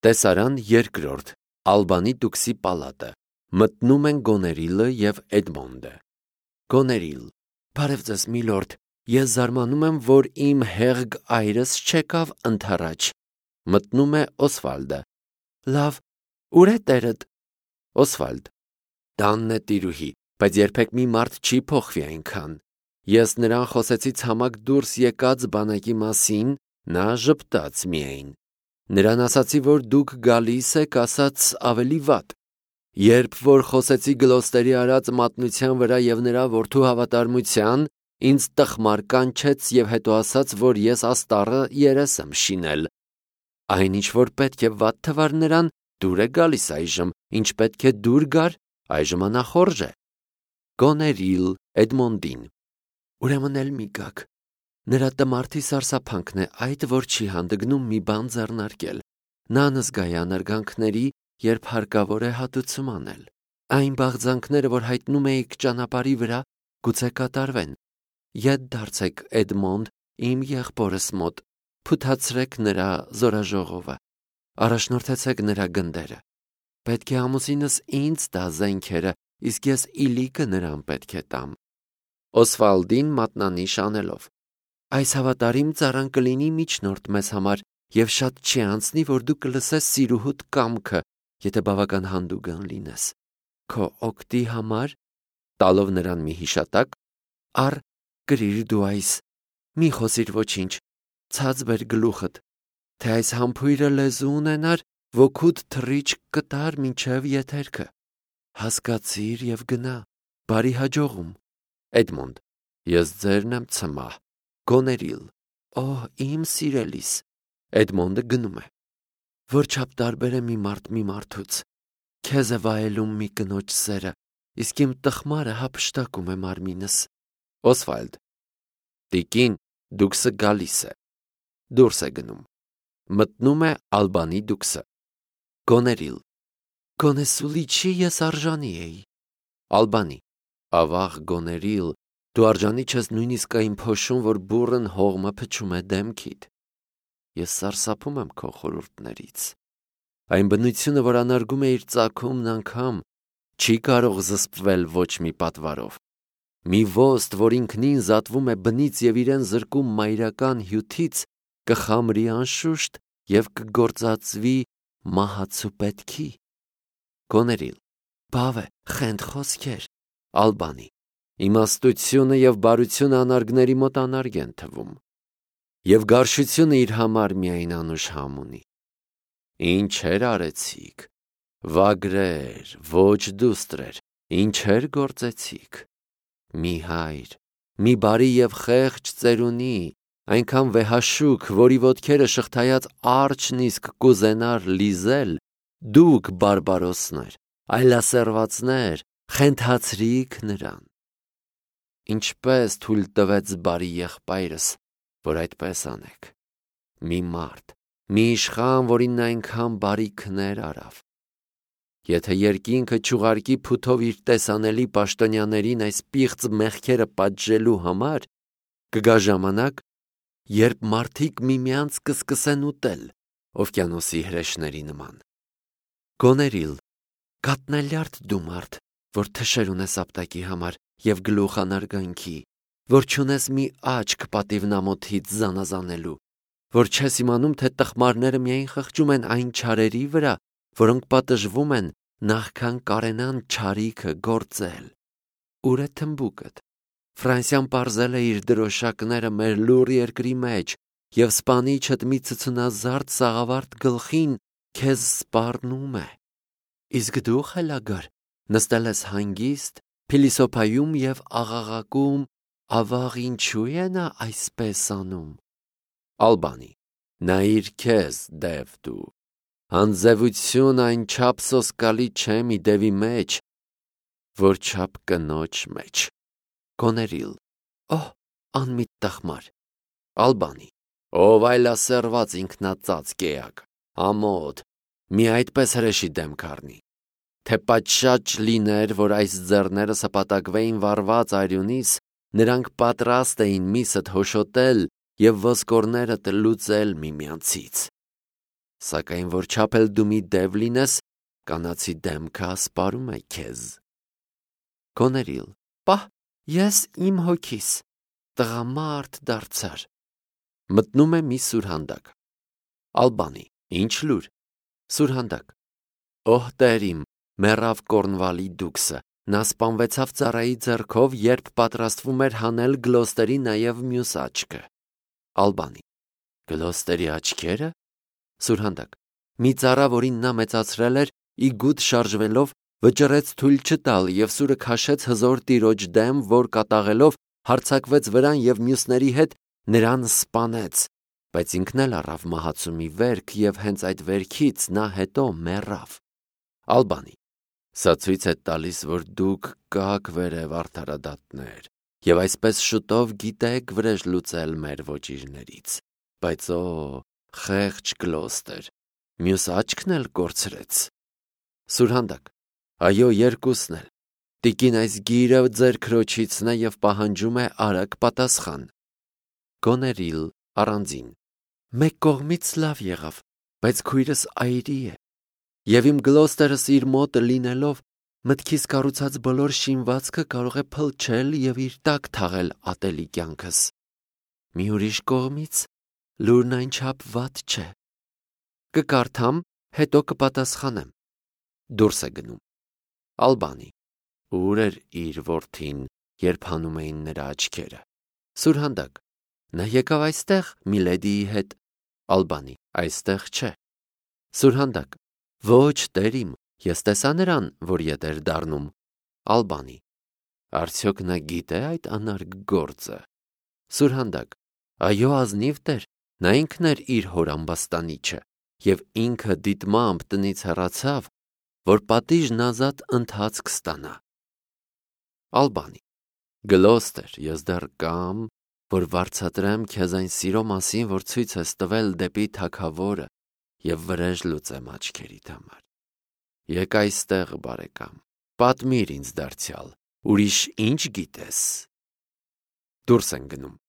Տեսարան երկրորդ Ալբանի տուքսի պալատը։ Մտնում են Գոներիլը և Էդմոնդը։ Գոներիլ. Բարև ձեզ, միլորդ, ես զարմանում եմ, որ իմ հեղգ այրս չեկավ ընդառաջ։ Մտնում է Օսվալդը. Լավ, ուր է տերդ։ Օսվալդ. Տանն է տիրուհի, բայց երբեք մի մարդ չի փոխվի այնքան։ Ես նրան խոսեցի ցամաք դուրս եկած բանակի մասին, նա ժպտաց միայն։ Նրան ասացի, որ դուք գալիս եք, ասաց ավելի վատ։ Երբ որ խոսեցի Գլոստերի արած մատնության վրա և նրա որդու հավատարմության, ինձ տխմար կանչեց և հետո ասաց, որ ես աստառը երես եմ շինել։ Այն ինչ որ պետք է վատ թվար նրան, դուր է գալիս այժմ, ինչ պետք է դուր գար, այժմ անախորժ է։ Գոներիլ Էդմոնդին. Ուրեմն էլ մի գաք։ Նրա տմարդի սարսափանքն է այդ, որ չի հանդգնում մի բան ձեռնարկել։ Նա նզգա է անարգանքների, երբ հարկավոր է հատուցում անել։ Այն բաղձանքները, որ հայտնում էիք ճանապարհի վրա, գուցե կատարվեն։ Ետ դարձեք Էդմոնդ, իմ եղբորս մոտ, փութացրեք նրա զորաժողովը, առաջնորդեցեք նրա գնդերը։ Պետք է ամուսինս ինձ տա զենքերը, իսկ ես իլիկը նրան պետք է տամ։ Օսվալդին մատնանիշ անելով. Այս հավատարիմ ծառան կլինի միջնորդ մեզ համար, և շատ չի անցնի, որ դու կլսես սիրուհուդ կամքը, եթե բավական հանդուգն լինես։ Քո օգտի համար, տալով նրան մի հիշատակ, առ կրիր դու այս, մի խոսիր ոչինչ, ցած բեր գլուխդ, թե այս համբույրը լեզու ունենար, ոգուդ թռիչք կտար մինչև եթերքը։ Հասկացիր և գնա, բարի հաջողում։ Էդմոնդ. Ես ձերն եմ ցմահ։ Գոներիլ. Օհ, իմ սիրելիս։ Էդմոնդը գնում է։ Որչափ տարբեր է մի մարդ մի մարդուց։ Քեզ է վայելում մի կնոջ սերը, իսկ իմ տխմարը հափշտակում է մարմինս։ Օսվալդ. Տիկին, դուքսը գալիս է։ Դուրս է գնում։ Մտնում է Ալբանի դուքսը։ Գոներիլ. Գոնե սուլիչի ես արժանի էի։ Ալբանի. Ավաղ Գոներիլ, դու արժանի չես նույնիսկ այն փոշուն, որ բուռն հողմը փչում է դեմքիդ։ Ես սարսափում եմ քո խորհուրդներից։ Այն բնությունը, որ անարգում է իր ծագումն անգամ, չի կարող զսպվել ոչ մի պատվարով։ Մի ոստ, որ ինքնին զատվում է բնից և իրեն զրկում մայրական հյութից, կխամրի անշուշտ և կգործածվի մահացու պետքի։ Գոներիլ. Բավ է, խենթ խոսքեր։ Ալբանի. Իմաստությունը և բարությունը անարգների մոտ անարգ են թվում, և գարշությունը իր համար միայն անուշհամ ունի։ Ինչեր արեցիք, վագրեր, ոչ դուստրեր, ինչեր գործեցիք։ Մի հայր, մի բարի և խեղճ ծերունի, այնքան վեհաշուք, որի ոտքերը շղթայած արջն իսկ կուզենար լիզել, դուք բարբարոսներ, այլասերվածներ, խենթացրիք նրան։ Ինչպես թույլ տվեց բարի եղբայրս, որ այդպես անեք։ Մի մարդ, մի իշխան, որին նա այնքան բարիքներ արավ։ Եթե երկինքը չուղարկի փութով իր տեսանելի պաշտոնյաներին այս պիղծ մեղքերը պատժելու համար, կգա ժամանակ, երբ մարդիկ միմյանց կսկսեն ուտել, օվկիանոսի հրեշների նման։ Գոներիլ. Կատնալյարդ դու մարդ, որ թշեր ունես ապտակի համար և գլուխ անարգանքի, որ չունես մի աչք պատիվնամոթից զանազանելու, որ չես իմանում, թե տխմարները միայն խղճում են այն չարերի վրա, որոնք պատժվում են, նախքան կարենան չարիքը գործել։ Ուր է թմբուկդ։ Ֆրանսիան պարզել է իր դրոշակները մեր լուռ երկրի մեջ, և սպանիչդ մի ցցունազարդ սաղավարտ գլխին քեզ սպառնում է։ Իսկ դու, խելագար, նստել ես հանգիստ, փիլիսոփայում և աղաղակում, ավաղ ինչու է նա այսպես անում։ Ալբանի. Նայիր քեզ, դև դու, հանձևություն այնչափ սոսկալի չէ մի դևի մեջ, որչափ կնոջ մեջ։ Գոներիլ. Օհ, անմիտ տխմար։ Ալբանի. Ով այլասերված ինքնածածկ էակ, ամոթ, մի այդպես հրեշի դեմք առնի։ Թե պատշաճ լիներ, որ այս ձեռները սպատակվեին վառված արյունիս, նրանք պատրաստ էին միսդ հոշոտել և ոսկորներդ լուծել միմյանցից։ Սակայն որ չափել դու մի դև լինես, կանացի դեմքը ասպարում է քեզ։ Գոներիլ. Պահ, ես իմ հոգիս տղամարդ դարձար։ Մտնում է մի սուրհանդակ։ Ալբանի. Ինչ լուր։ Սուրհանդակ. Օհ Տեր իմ, մեռավ Կորնվալի դուքսը, նա սպանվեցավ ծառայի ձեռքով, երբ պատրաստվում էր հանել Գլոստերի նաև մյուս աչքը։ Ալբանի. Գլոստերի աչքերը։ Սուրհանդակ. մի ծառա, որին նա մեծացրել էր, իգուտ շարժվելով վճռեց թույլ չտալ և սուրը քաշեց հզոր տիրոջ դեմ, որ կատաղելով հարձակվեց վրան և մյուսների հետ նրան սպանեց, բայց ինքն էլ առավ մահացու մի վերք և հենց այդ վերքից նա հետո մեռավ։ Ալբանի. Սա ցույց է տալիս, որ դուք կաք վերև արդարադատներ և այսպես շուտով գիտեք վրեժ լուծել մեր ոճիրներից, բայց օ, խեղճ Գլոստեր, մյուս աչքն էլ կորցրեց։ Սուրհանդակ. Այո, երկուսն էլ։ Տիկին այս գիրը ձեր քրոջիցն է և պահանջում է արագ պատասխան։ Գոներիլ առանձին. Մեկ կողմից լավ եղավ, բայց քույրս այրի է, և իմ Գլոստերս իր մոտը լինելով մտքիս կառուցած բոլոր շինվածքը կարող է փլչել և իր տակ թաղել ատելի կյանքս։ Մի ուրիշ կողմից լուրն այնչափ վատ չէ։ Կկարդամ, հետո կպատասխանեմ։ Դուրս է գնում։ Ալբանի. Ուր էր իր որդին, երբ հանում էին նրա աչքերը։ Սուրհանդակ. նա եկավ այստեղ Միլեդիի հետ։ Ալբանի. այստեղ չէ։ Սուրհանդակ. ոչ, Տեր իմ, ես տեսա նրան, որ ետ էր դառնում։ Ալբանի. արդյոք նա գիտե այդ անարգ գործը։ Սուրհանդակ. այո, ազնիվ Տեր, նա ինքն էր իր հոր ամբաստանիչը և ինքը դիտմամբ տնից հեռացավ, որ պատիժն ազատ ընթացք ստանա։ Ալբանի. Գլոստեր, ես դեռ կամ, որ վարձատրեմ քեզ այն սիրո մասին, որ ցույց ես տվել դեպի թագավորը և վրեժ լուծեմ աչքերիդ համար։ Եկ այստեղ, բարեկամ, պատմիր ինձ դարձյալ, ուրիշ ինչ գիտես։ Դուրս են գնում։